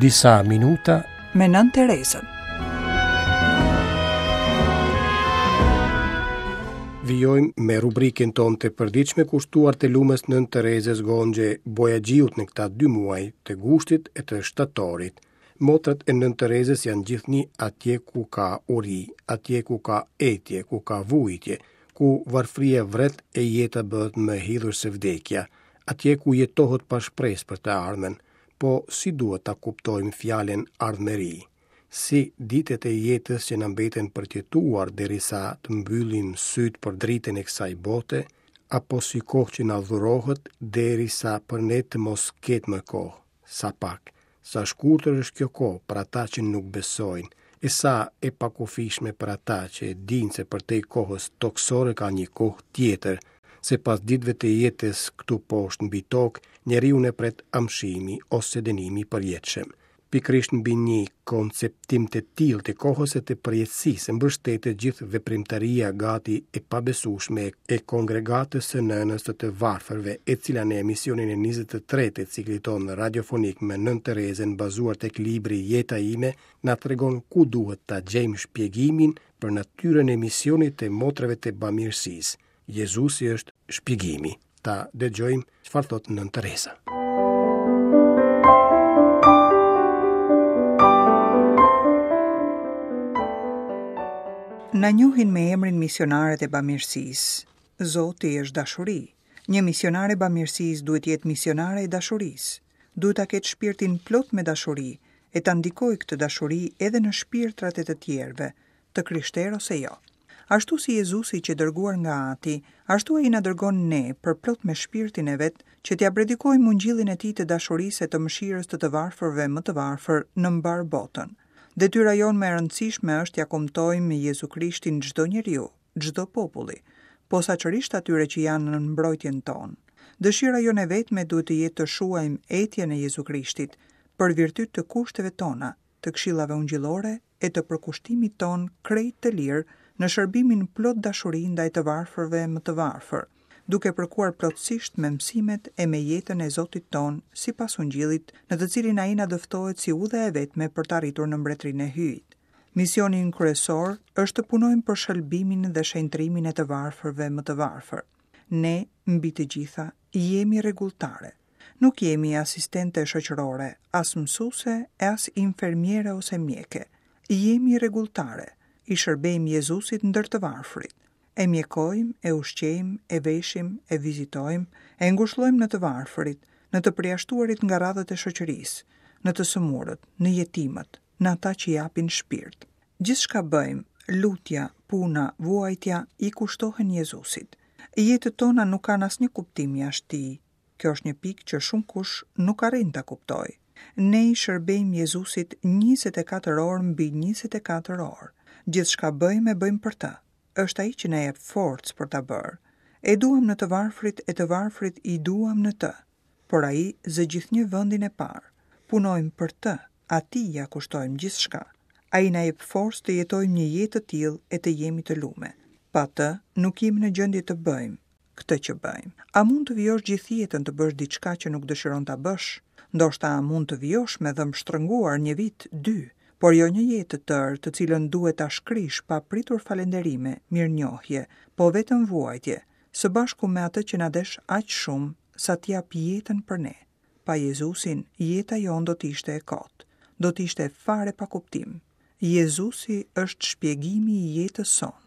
Disa minuta me Nënë Terezën. Vijojmë me rubrikën tonë të përditshme kushtuar të lumës Nënë Terezës Gonxhe Bojaxhiut në këta dy muaj të gushtit e të shtatorit. Motrat e Nënë Terezës janë gjithnjë atje ku ka uri, atje ku ka etje, ku ka vujtje, ku varfëria vret e jeta bëhet më e hidhur se vdekja, atje ku jetohet pa shpresë për të ardhmen. Po si duhet ta kuptojmë fjalën ardhmëri? Si ditët e jetës që na mbeten për të jetuar derisa të mbyllim sytë për dritën e kësaj bote, apo si kohë që na dhurohet derisa për ne të mos ketë më kohë? Sa pak, sa shkurtër është kjo kohë për ata që nuk besojnë, e sa e pakufishme për ata që e dinë se përtej kohës tokësore ka një kohë tjetër, se pas ditëve të jetës këtu poshtë mbi tokë, njeriun e pret amshimi ose dënimi i përjetshëm. Pikërisht mbi një konceptim të tillë të kohës e të përjetësisë mbështetet gjithë veprimtaria gati e pabesueshme e Kongregatës së Nënës së të Varfërve, e cila në emisionin e 23 të ciklit tonë radiofonik me Nënë Terezën bazuar tek libri Jeta ime, na tregon ku duhet ta gjejmë shpjegimin për natyrën e misionit të motrave të bamirësisë. Jezusi është shpjegimi. Ta dëgjojmë çfarë thotë Nënë Tereza. Na njohin me emrin misionaret e bamirësisë. Zoti është dashuri. Një misionare e bamirësisë duhet të jetë misionare e dashurisë. Duhet ta ketë shpirtin plot me dashuri e ta ndikojë këtë dashuri edhe në shpirtrat e të tjerëve, të krishterë ose jo. Ashtu si Jezusi qe dërguar nga Ati, ashtu ai na dërgon ne, përplot me Shpirtin e vet, që t'ia predikojmë ungjillin e tij të dashurisë e të mëshirës të të varfërve më të varfër në mbarë botën. Detyra jonë më e rëndësishme është t'ia kumtojmë Jezu Krishtin çdo njeriu, çdo populli, posaçërisht atyre që janë nën mbrojtjen tonë. Dëshira jonë e vetme duhet të jetë të shuajmë etjen e Jezu Krishtit, për virtyt të kushteve tona, të këshillave ungjillore e të përkushtimit tonë krejt të lirë në shërbimin plot dashuri ndaj të varfërve më të varfër, duke përkuar plotësisht me mësimet e me jetën e Zotit tonë sipas Ungjillit, në të cilin ai na dëftohet si udha e vetme për të arritur në Mbretërinë e Hyjit. Misioni ynë kryesor është të punojmë për shëlbimin dhe shenjtërimin e të varfërve më të varfër. Ne, mbi të gjitha, jemi rregulltare. Nuk jemi asistente shoqërore, as mësuese e as infermiere ose mjeke. Jemi rregulltare, i shërbejmë Jezusit ndër të varfrit. E mjekojmë, e ushqejmë, e veshim, e vizitojmë, e ngushëllojmë në të varfërit, në të përjashtuarit nga radhët e shoqërisë, në të sëmurët, në jetimët, në ata që japin shpirt. Gjithçka bëjmë, lutja, puna, vuajtja, i kushtohen Jezusit. Jetët tona nuk kanë asnjë kuptim jashtë tij, Kjo është një pikë që shumëkush nuk arrin ta kuptojë. Ne i shërbejmë Jezusit 24 orë mbi 24 orë. Gjithçka bëjmë e bëjmë për të. Është ai që na jep forcë për ta bërë. E duam në të varfrit e të varfrit i duam në të. Por ai zë gjithnjë vendin e parë. Punojmë për të, atij ia kushtojmë gjithçka. Ai na jep forcë të jetojmë një jetë të tillë e të jemi të lume. Pa të, nuk jemi në gjendje të bëjmë, këtë që bëjmë. A mund të vijosh gjithë jetën të bësh diçka që nuk dëshiron ta bësh? Ndoshta mund të vijosh me dhëmbë shtrënguar një vit, dy, por jo një jetë të tërë, të cilën duhet ta shkrish pa pritur falënderime, mirënjohje, po vetëm vuajtje, së bashku me atë që na desh aq shumë sa të japë jetën për ne. Pa Jezusin, jeta jonë do të ishte e kotë, do të ishte fare pa kuptim. Jezusi është shpjegimi i jetës sonë.